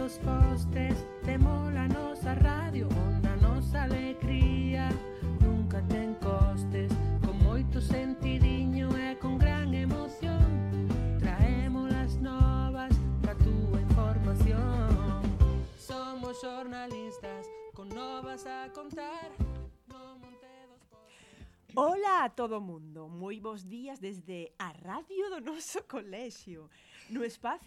dos postes, temos a nosa radio, onde a nosa alegría nunca ten costes. Con moito sentidiño e con gran emoción, traemos as novas pa túa información. Somos xornalistas con novas a contar. Ola a todo mundo, moi bons días desde a radio do noso colexio.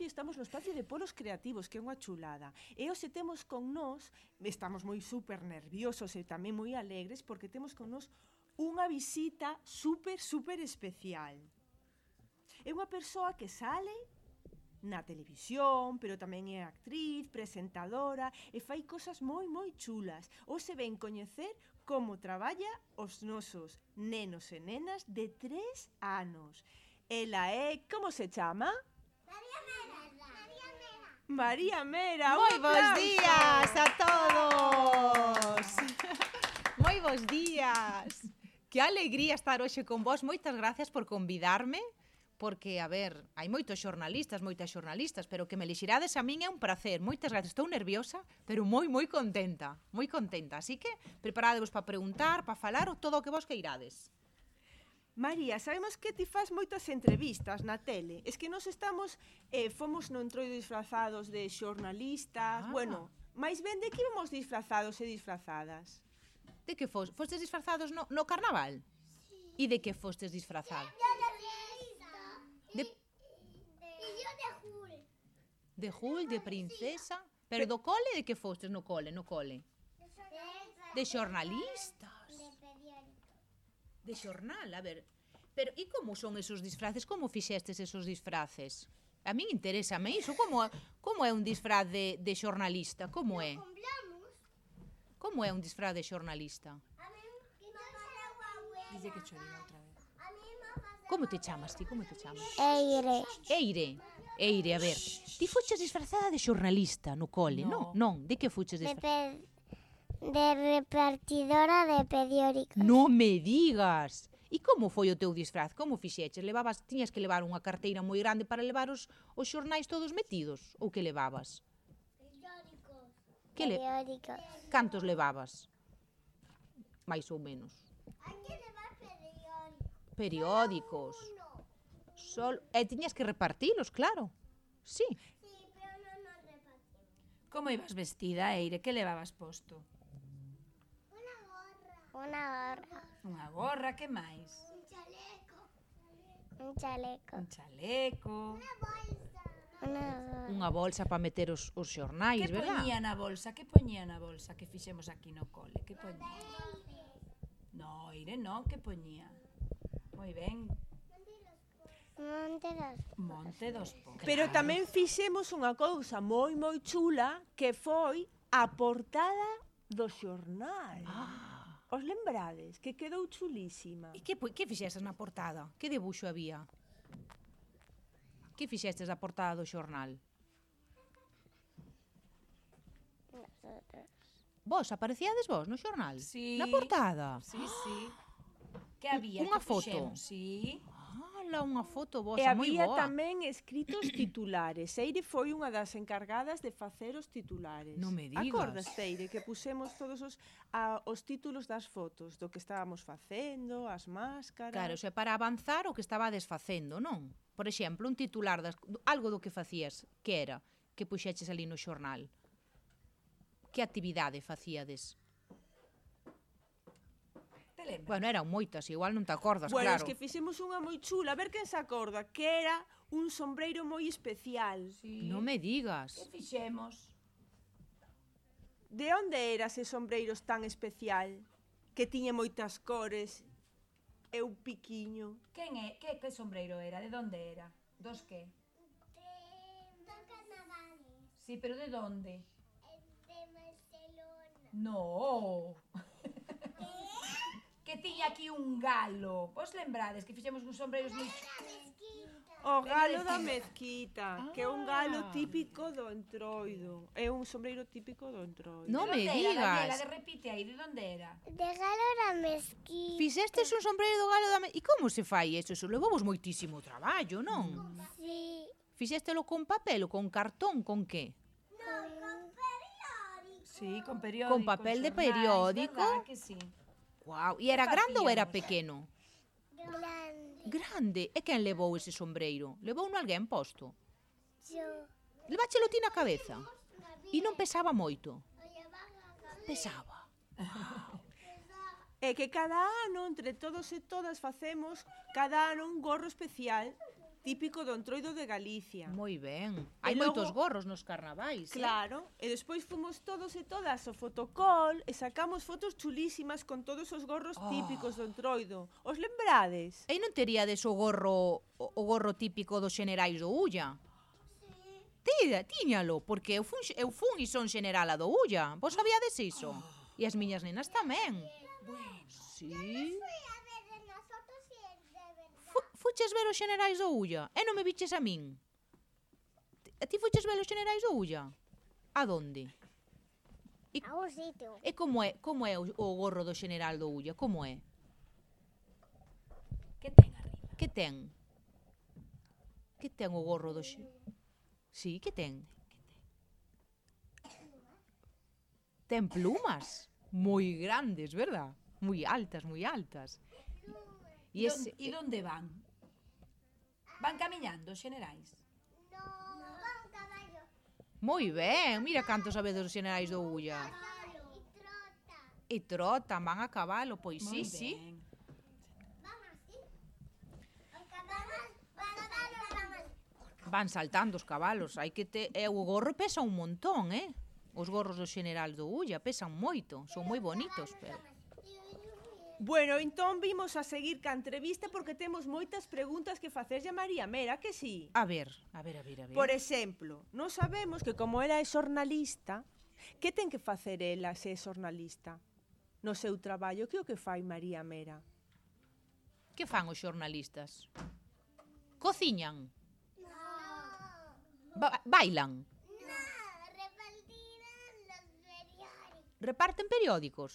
Estamos no espacio de Polos Creativos, que é unha chulada. E hoxe temos con nós, estamos moi super nerviosos e tamén moi alegres, porque temos con nós unha visita super especial. É unha persoa que sale na televisión, pero tamén é actriz, presentadora e fai cosas moi chulas. Hoxe ven coñecer como traballa os nosos nenos e nenas de 3 anos. Ela é, como se chama? María Mera. Moi bons días a todos. Moi bons días. Que alegría estar hoxe con vos. Moitas gracias por convidarme. Porque, a ver, hai moitas xornalistas, pero que me elixirades a min é un prazer. Moitas gracias, estou nerviosa, pero moi contenta, Así que, preparadevos para preguntar, para falar, ou todo o que vos queirades. María, sabemos que ti fas moitas entrevistas na tele. Es que nos estamos, fomos no entroido disfrazados de xornalistas, bueno, máis ben de que íbamos disfrazados e disfrazadas? De que fostes disfrazados no carnaval? E de que fostes disfrazados? De Jul, de princesa. Pero do cole, de que fostes no cole? De xornalistas. De xornal, a ver. Pero, e como son esos disfraces? Como fixestes esos disfraces? A min interésame iso. Como é un disfraz de xornalista? Como é? Como é un disfraz de xornalista? Dice que choriga outra vez. Como te chamas ti? Eire, a ver. Ti fuches disfrazada de xornalista no cole, non? De que fuches disfrazada? de repartidora de periódicos. Non me digas. E como foi o teu disfraz? Como fixeches? Tiñas que levar unha carteira moi grande para levar os xornais todos metidos? Ou que levabas? Periódicos. Cantos levabas? Mais ou menos. Hai que levar Periódicos. E tiñas que repartilos, claro. Sí. Sí, pero non nos repartimos. Como ibas vestida, Eire? Que levabas posto? Unha gorra. Unha gorra, que máis? Un chaleco. Un chaleco. Unha bolsa para meter os xornais, Que verdad? poñía na bolsa? Que fixemos aquí no cole? Que poñía? No, Eire, non, que poñía? Moi ben. Monte dos Pons. Pero tamén fixemos unha cousa moi chula, que foi a portada do xornal. Os lembrades? Que quedou chulísima. E que fixestes na portada? Que debuxo había? Que fixestes a portada do xornal? Vos, aparecíades vos no xornal? Sí. Na portada? Sí. Que había? Unha Que foto? fixemos? Sí. Unha foto E vosa moi había boa. tamén escritos titulares. Eire foi unha das encargadas de facer os titulares. Non me digas. Acordas, Eire, que pusemos todos os títulos das fotos do que estábamos facendo, as máscaras... Claro, xe para avanzar o que estabades facendo, non? Por exemplo, un titular, algo do que facías, que era? Que puxeches ali no xornal? Que actividade facíades? Bueno, eran moitas, igual non te acordas, Bueno, claro. es que fixemos unha moi chula, a ver quen se acorda, que era un sombreiro moi especial. Sí. Non me digas. Que fixemos? De onde era ese sombreiro tan especial? Que tiña moitas cores e un piquiño. Quen é? Que sombreiro era? De onde era? Dos que? De carnavales. Sí, pero de onde? De Barcelona. No. Que tiña aquí un galo. Vos lembrades que fixemos uns sombreiros moi... O galo da mezquita, que é un galo típico do Entroido. É un sombreiro típico do Entroido. Non me Daniela, digas. repite aí, de onde era? De galo da mezquita. Fixestes un sombreiro do galo da... E como se fai eso? Eso levamos moitísimo traballo, non? Sí. Fixéstelo con papel ou con cartón, con que? Non, con Sí, con periódico. Con papel de xornais, periódico. ¿verdad que sí? Guau, e era grande ou era facíamos? pequeno? Grande. Grande. E quen levou ese sombreiro? Levou alguén posto? Yo. Leváchelo ti na cabeza. E non pesaba moito. Pesaba. É que cada ano, entre todos e todas, facemos cada ano un gorro especial típico do Entroido de Galicia. Moi ben. Hai logo- moitos gorros nos carnavais. Claro, e despois fomos todos e todas ao fotocall e sacamos fotos chulísimas con todos os gorros típicos do Entroido. Os lembrades? E non teríades o gorro típico dos xenerais do Ulla? Tiñalo, porque eu fun e son xenerala do Ulla. Vos sabíades iso? E as miñas nenas tamén. Sí. Fuches ver os xenerais do Ulla e non me viches a min? A ti fuches ver os xenerais do Ulla? A donde? A un sitio. E como é o gorro do xeneral do Ulla? Como é? Que ten arriba? Que ten? Que ten o gorro do Sí, que ten? Ten plumas moi grandes, verdad? Moi altas, moi altas. E onde van? Van camiñando, xenerais? No, van caballo. Moi ben, mira cantos sabedes os xenerais do Ulla. Y trota. E trotan, van a cabalo, pois sí, Moi sí. ben. Van así. Los caballos van así. Van saltando os cabalos, hai que o gorro pesa un montón, Os gorros do xeneral do Ulla pesan moito, son moi bonitos, pero Bueno, entón vimos a seguir ca entrevista porque temos moitas preguntas que facerlle a María Mera, que sí? a ver. Por exemplo, non sabemos que como ela é xornalista, que ten que facer ela se é xornalista? No seu traballo, que é o que fai María Mera? Que fan os xornalistas? Cociñan? Bailan? Repartirán los periódicos. Reparten periódicos?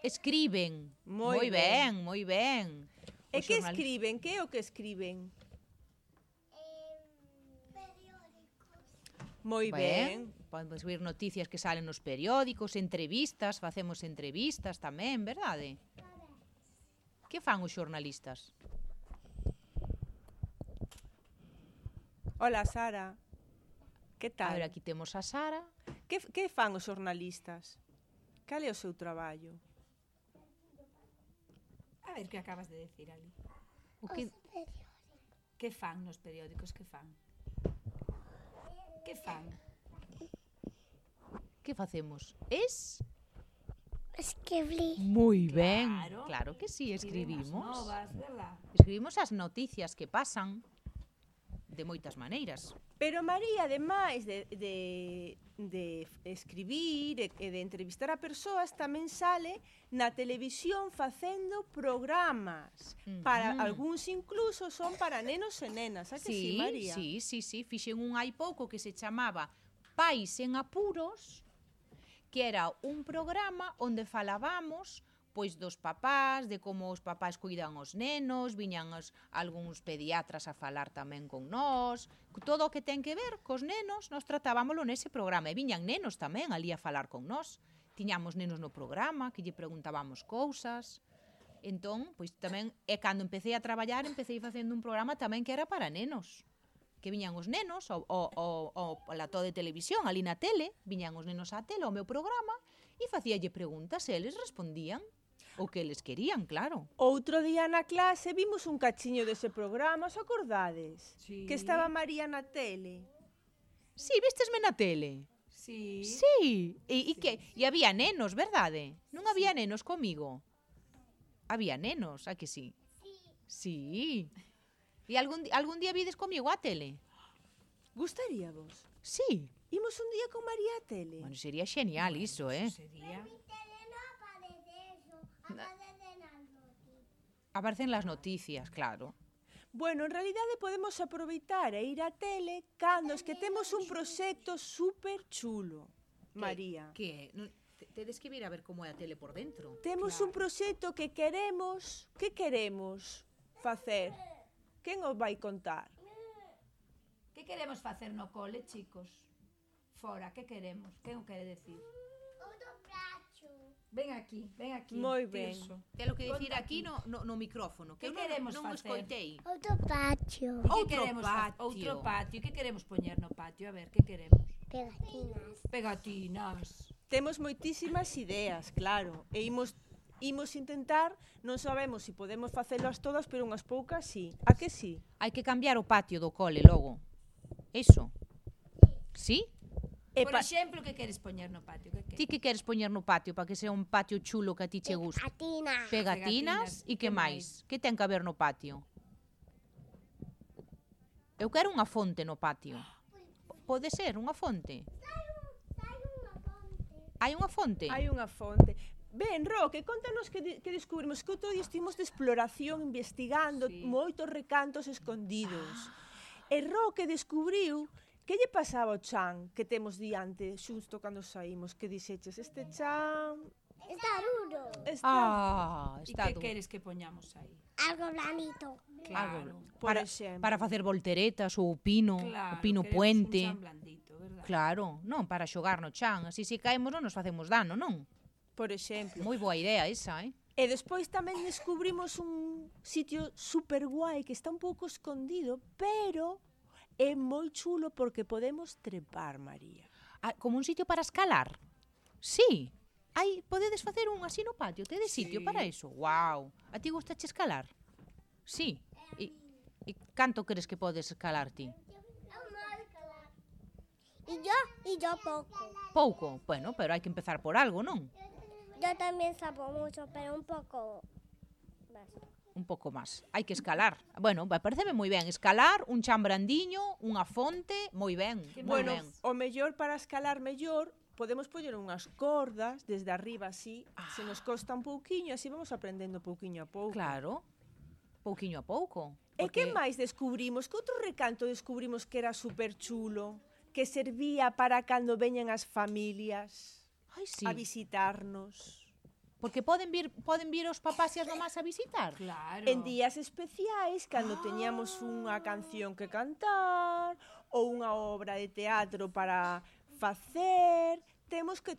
Escriben. Moi moi ben. E Os que xornal- escriben? Que é o que escriben? Periódicos. Moi ben. Podemos ver noticias que salen nos periódicos, entrevistas, facemos entrevistas tamén, verdade? Que fan os xornalistas? Hola, Sara. Que A ver, tal? aquí temos a Sara. Que fan os xornalistas? Cal é o seu traballo? A ver que acabas de decir ali. O que... Que fan nos periódicos? Que fan? Que fan? Que facemos? Escribir. Moi ben. Claro. Claro que sí, Escriben as escribimos. novas, verdad? Escribimos as noticias que pasan de moitas maneiras. Pero María, ademais de escribir e de entrevistar a persoas, tamén sale na televisión facendo programas. Para algúns incluso son para nenos e nenas, a que sí, María? Sí. Fixen un hai pouco que se chamaba Pais en Apuros, que era un programa onde falábamos pois dos papás, de como os papás cuidan os nenos, viñan algúns pediatras a falar tamén con nós, todo o que ten que ver cos nenos, nós tratábamoslo nese programa, e viñan nenos tamén ali a falar con nós, tiñamos nenos no programa, que lle preguntábamos cousas, entón, pois tamén, e cando empecé a traballar, empecé facendo un programa tamén que era para nenos, que viñan os nenos ao plató de televisión, ali na tele, viñan os nenos á tele, ao meu programa, e facíalle preguntas, e eles respondían o que eles querían, claro. Outro día na clase vimos un cachiño dese programa, os acordades? Sí. Que estaba María na tele. Sí, vistesme na tele? Sí. Sí. E que? E había nenos, verdade? Non había nenos comigo? Había nenos, a que sí? Sí. E algún día vides comigo a tele? Gustaríavos? Sí. Imos un día con María a tele? Bueno, sería genial iso, Sería. Aparecen las noticias, claro. Bueno, en realidade podemos aproveitar e ir á tele cando es que temos un proxecto super chulo, María. Que tedes que vir a ver como é a tele por dentro. Temos un proxecto que queremos facer. Quen os vai contar? Que queremos facer no cole, chicos? fora, que queremos? Que non quere decir? Outro prato. Ven aquí. Moi ben. Tirso. Ten lo que dicir Conta aquí ti. no micrófono, que Que eu queremos non facer? escoitei. Outro patio. E que Outro queremos patio. Outro patio. Que queremos poñer no patio? A ver, que queremos? Pegatinas. Pegatinas. Temos moitísimas ideas, claro, e imos intentar, non sabemos se podemos facelas todas, pero unhas poucas sí. A que sí? Hai que cambiar o patio do cole logo. Eso. Sí? E Por exemplo, que queres poñer no patio? Que Ti que queres poñer no patio para que sea un patio chulo que a ti che guste? Pegatinas. Pegatinas e que máis? Que ten que haber no patio? Eu quero unha fonte no patio. Pode ser unha fonte? Hai unha fonte? hai unha fonte. Ben, Roque, contanos que descubrimos que outro día estivemos de exploración investigando Sí. moitos recantos escondidos. E Roque descubriu que lle pasaba ao chan que temos diante xusto cando saímos, que dixeches, este chan Está duro. Ah, E está que duro. queres que poñamos aí? Algo blandito. Claro. por para, exemplo. para facer volteretas ou o pino Queremos puente. un chan blandito, verdad? Claro, non para xogar no chan, así se caemos non nos facemos dano, non? Por exemplo. Moi boa idea esa, eh? E despois tamén descubrimos un sitio super guai que está un pouco escondido, pero é moi chulo porque podemos trepar, María. Ah, como un sitio para escalar? Sí. Ai, podedes facer un así no patio, tedes sitio Sí. para eso. Wow. A ti gustache escalar? Sí. E canto crees que podes escalar ti? Y yo poco. Pouco. Bueno, pero hai que empezar por algo, non? Yo también sabo mucho, pero un poco más. Un pouco máis. Hai que escalar. Bueno, pareceme moi ben. Escalar, un chan brandiño, unha fonte, moi ben. Moi Bueno, ben. o mellor para escalar mellor, podemos poñer unhas cordas desde arriba así, se nos costa un pouquiño, así vamos aprendendo pouquiño a pouco. Claro. Pouquiño a pouco. E que máis descubrimos? Que outro recanto descubrimos que era super chulo? Que servía para cando veñan as familias Ai, sí. a visitarnos. Porque poden vir os papás e as mamás a visitar. Claro. En días especiais, cando teñamos unha canción que cantar ou unha obra de teatro para facer, temos que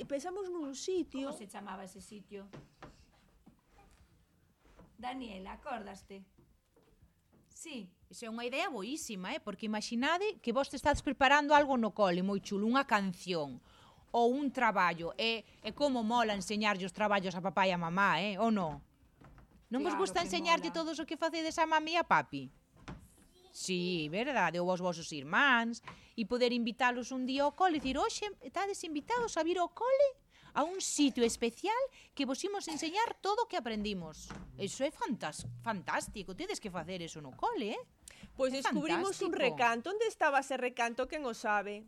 pensamos nun sitio. Como se chamaba ese sitio? Daniela, acordaste? Sí. Iso é unha idea boísima, porque imaginade que vos te estades preparando algo no cole moi chulo, unha canción ou un traballo, e como mola enseñarlle os traballos a papá e a mamá, ou non? Non vos Claro gusta que enseñarlle mola. todos o que facedes a mami e a papi? Sí, verdade, ou aos vosos irmáns, e poder invitalos un día ao cole, e dicir, hoxe, estades invitados a vir ao cole a un sitio especial que vos imos enseñar todo o que aprendimos. Iso é fantástico, tedes que facer eso no cole, Pois É descubrimos un fantástico. recanto. Onde estaba ese recanto? Quen o sabe?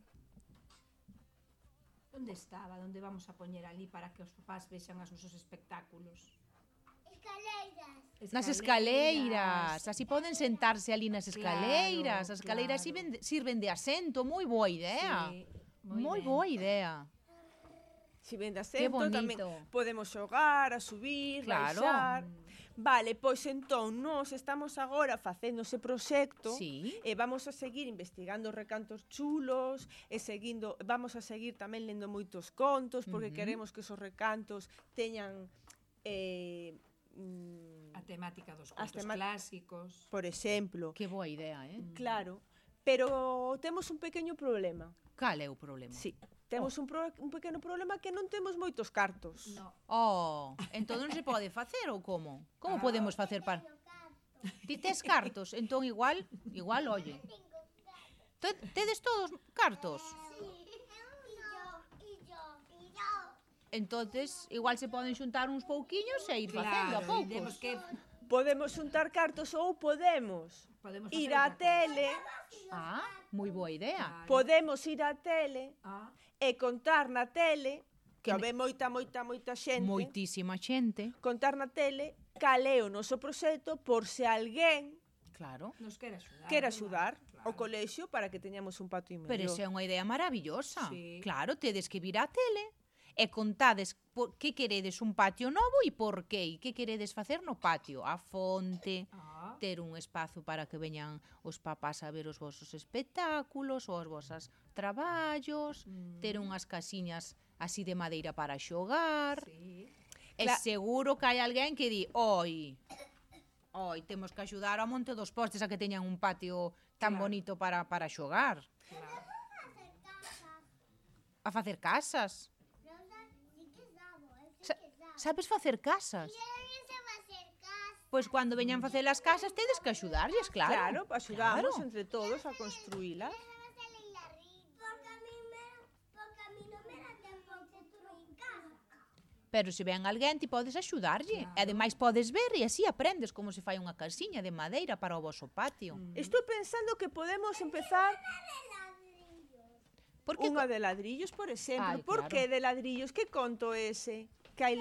Onde estaba? Onde vamos a poñer ali para que os papás vexan os nosos espectáculos? Escaleiras. Nas escaleiras, así poden sentarse ali nas escaleiras. Claro, As escaleiras claro. sirven de asento, moi boa idea. Sí, Moi ben. boa idea. Si ven de Que asento, tamén bonito. podemos xogar, a subir, Claro. baixar. Vale, pois entón, nós estamos agora facendo ese proxecto Sí. e vamos a seguir investigando recantos chulos e vamos a seguir tamén lendo moitos contos porque queremos que esos recantos teñan A temática dos As contos clásicos. por exemplo, Que boa idea, claro, pero temos un pequeno problema. Cal é o problema? Sí, temos un pequeno problema que non temos moitos cartos. No. Oh, entón non se pode facer ou como? Como podemos facer para... Ti tes cartos, entón igual, oye. Tedes todos cartos? Entonces, igual se poden xuntar uns pouquiños e ir facendo a Claro, poucos. temos que Podemos xuntar cartos ou podemos podemos ir facer á outra tele, Ah, moi boa idea. Claro. podemos ir á tele Ah, e contar na tele, que ve moita xente, Moitísima xente. contar na tele cal é o noso proxecto por se alguén Claro. nos quere axudar. quer verdad? axudar Claro. ao colexio para que teñamos un patio mellor. Pero esa é unha idea maravillosa. Sí. Claro, tedes que vir á tele e contades que queredes un patio novo e por qué, e que queredes facer no patio. A fonte, Ah, ter un espazo para que veñan os papás a ver os vosos espectáculos ou os vosos traballos, ter unhas casiñas así de madeira para xogar. Sí. E seguro que hai alguén que di, oi, temos que axudar ao monte dos postes a que teñan un patio tan bonito para xogar. A facer casas. Sabes facer casas? Pois cando veñan facer as casas tedes que axudarlles, claro. Claro, axudamos entre todos a construílas. Pero se ven alguén, ti podes axudarlle. E ademais podes ver e así aprendes como se fai unha casiña de madeira para o voso patio. Estou pensando que podemos empezar Porque unha de ladrillos, por exemplo. Ai, Por claro. que de ladrillos? Que conto ese? Que hai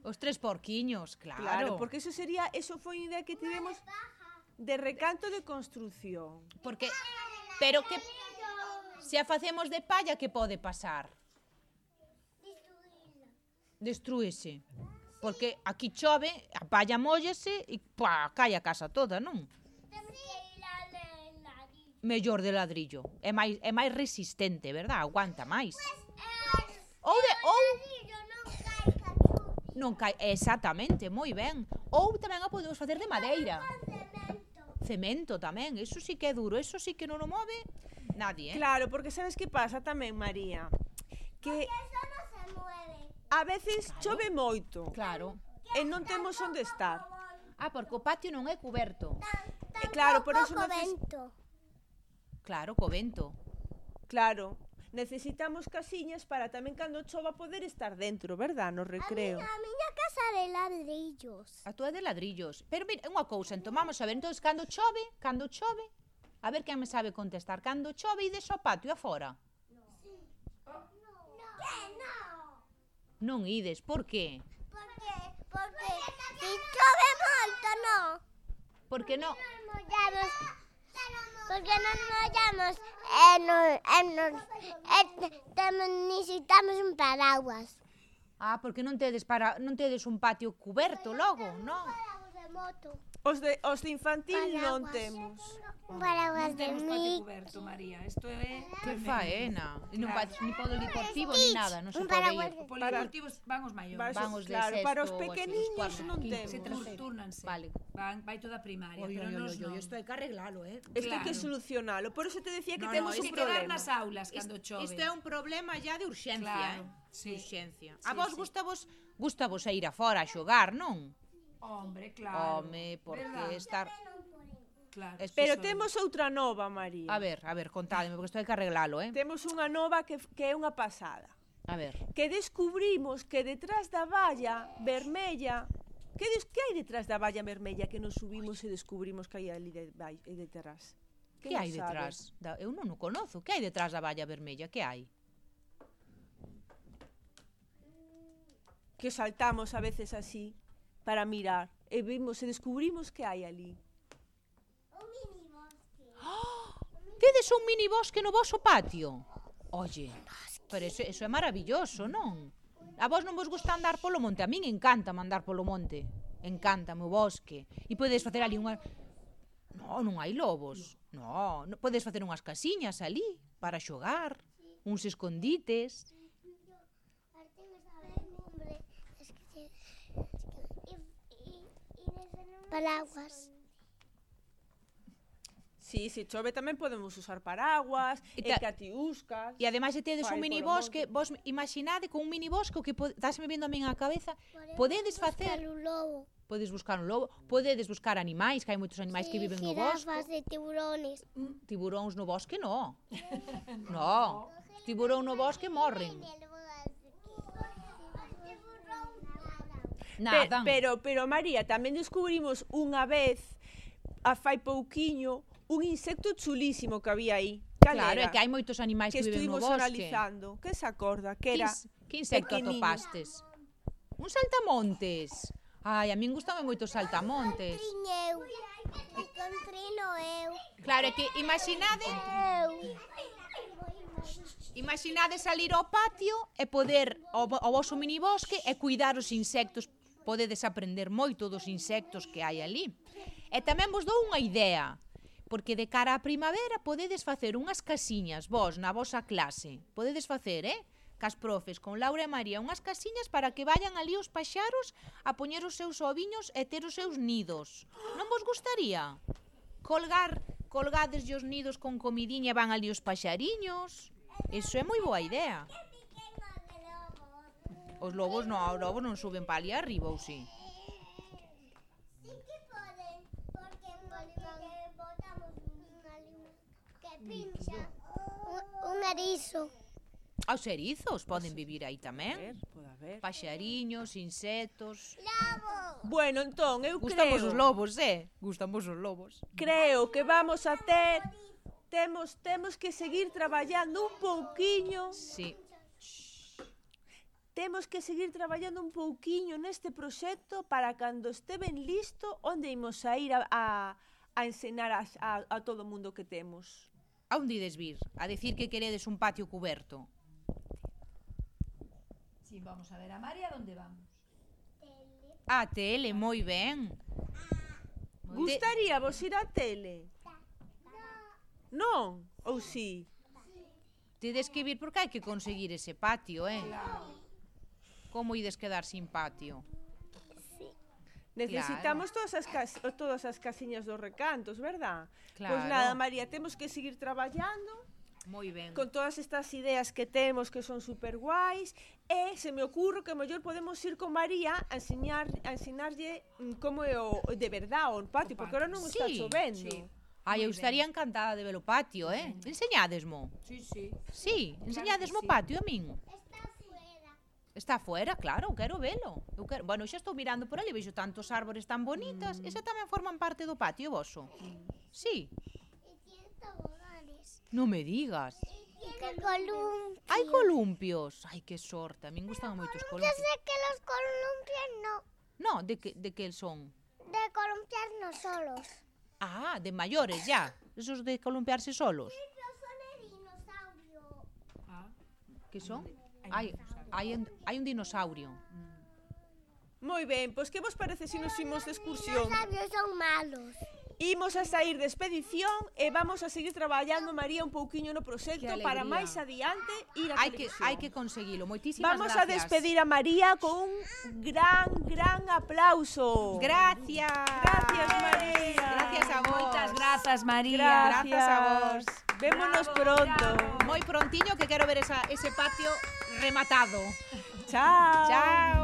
os 3 porquiños, claro. Claro, porque eso foi unha idea que tivemos de recanto de construción. Porque pero que se a facemos de palla, que pode pasar? Destrúese. Porque aquí chove, a palla móllese e cae a casa toda, non? Mellor de ladrillo. É máis resistente, verdad? Aguanta máis. Ou non cae, exactamente, moi ben. Ou tamén a podemos facer de madeira. Cemento tamén, eso sí que é duro, eso sí que non o move nadie, Claro, porque sabes que pasa tamén, María? Que a veces chove moito Claro. e non temos onde estar. Porque o patio non é cuberto. Claro, por eso Claro, co vento. Claro, necesitamos casiñas para tamén cando chova poder estar dentro, verdad? No recreo. A miña casa de ladrillos. A túa de ladrillos. Pero mira, unha cousa, entón vamos a ver, entón cando chove, a ver quen me sabe contestar, cando chove ides ao patio afora? Non ides, por qué? Porque si chove moito, non. Porque non. Porque non mollamos necesitamos un paraguas. Porque non tedes un patio cuberto logo, non? Paraguas de moto. Os de infantil non Paraguas. temos. Un paraguas Non de temos patio mí. coberto, María. Isto é... Que faena. E non Claro. vais ni polideportivo ni nada, non se Un pode paraguas ir. de- Polideportivos van os maiores. Van os de Claro, para os sexto, así, pequeniños os cuartos, non quinto, Se temos. turnanse. Vale. Vai toda a primaria, Oi, pero nos non. isto hai que arreglalo, Isto hai que Claro. solucionalo. Por eso te decía que No, temos hai un que quedar problema. nas aulas cando chove. Isto é un problema ya de urxencia, Claro, De sí. urxencia. Sí, A vos sí. gustavos a ir afora a xogar, non? Hombre, claro. Home, porque Verdad? estar... Claro. Pero sí, temos outra nova, María. A ver, contádeme, porque isto hai que arreglalo, Temos unha nova que é unha pasada. A ver. Que descubrimos que detrás da valla vermella... Que hai detrás da valla vermella que nos subimos e descubrimos que hai ali detrás? Que hai detrás? Eu non o conozo. Que hai detrás da valla vermella? Que hai? Que saltamos a veces así para mirar e vimos e descubrimos que hai ali. Tedes un mini bosque no voso patio? Oye, pero eso é maravilloso, non? A vos non vos gusta andar polo monte? A min encanta andar polo monte. Encántame o bosque. E podes facer ali unha... Non hai lobos. Non, podes facer unhas casiñas ali para xogar, uns escondites. Paraguas. Sí, se chove tamén podemos usar paraguas, E e ta- catiuscas. E ademais se tedes Fai un mini polo bosque, vos imaginade con un mini bosque o que dáseme vendo a min á cabeza, podedes facer, Un lobo. podes buscar un lobo, podedes buscar animais, que hai moitos animais que viven no bosque. Jirafas e tiburones. Tiburóns no bosque no. No, tiburón no bosque morren. Nadan. Pero María, tamén descubrimos unha vez, a fai pouquiño, un insecto chulísimo que había aí. Claro, é que hai moitos animais que que viven no estuvimos bosque. analizando. Que se acorda? Que era Que insecto pequeniño. atopastes? Un saltamontes. Ai, a min gustame moito os saltamontes. Trineu. Encontrino eu. Claro, é que imaginade salir ao patio e poder ao voso minibosque e cuidar os insectos podedes aprender moito dos insectos que hai ali. E tamén vos dou unha idea, porque de cara á primavera podedes facer unhas casiñas vos na vosa clase. Podedes facer, cas profes, con Laura e María, unhas casiñas para que vayan ali os paxaros a poñer os seus oviños e ter os seus nidos. Non vos gustaría? Colgades os nidos con comidiña e van ali os paxariños. Iso é moi boa idea. Os lobos non suben para ali arriba, ou si? Sí que poden, porque botamos que pincha un erizo. Os erizos poden vivir aí tamén. Pode haber. Paxariños, insectos. Lobo. Bueno, entón, eu Gustamos creo... os lobos, Gustamos os lobos. Creo que vamos a ter... Temos que seguir traballando un pouquiño. Sí. Temos que seguir traballando un pouquiño neste proxecto para cando este ben listo, onde imos a ir a ensinar a todo o mundo que temos. A onde ides vir? A decir que queredes un patio cuberto? Si vamos a ver a María, ¿dónde vamos? A tele, moi ben. Gustaría vos ir á tele? Non? Ou si? Tedes que vir porque hai que conseguir ese patio, Como ides quedar sin patio? Necesitamos todas as casiñas dos recantos, verdad? Claro. Pois nada, María, temos que seguir traballando Moi ben. con todas estas ideas que temos que son super guais e se me ocurre que mellor podemos ir con María a ensinarlle como é o de verdad o patio, porque ahora non está Sí, chovendo. sí. Ai, eu estaría encantada de ver o patio, Enseñádesmo. Sí, sí. Sí, enseñádesmo o patio a min. Está fuera, claro, quero velo. Bueno, xa estou mirando por ali, vexo tantos árbores tan bonitas. Ese tamén forman parte do patio voso? Sí. Y tiene toboganes. Non me digas. Y columpios. Hai columpios. Ai, que sorte, a min gustan moito os Yo columpios. sé que los columpios no. No, de que son? De columpiar no solos. Ah, de maiores ya. Esos de columpiarse solos. Pero son de dinosaurio. Que son? Hai un dinosaurio. Moi ben, pois que vos parece se nos imos de excursión? Dinosaurios son malos. Imos a sair de expedición e vamos a seguir traballando, María, un pouquiño no proxecto Que para alegría. máis adiante ir a televisión. Hai que conseguilo. Moitísimas Vamos gracias. a despedir a María con un gran aplauso. Gracias. Gracias, María. Gracias a vos. Moitas grazas, María. Grazas a vos. Vémonos Bravo, pronto. bravo. Moi prontiño que quero ver ese patio rematado. Chao. Chao.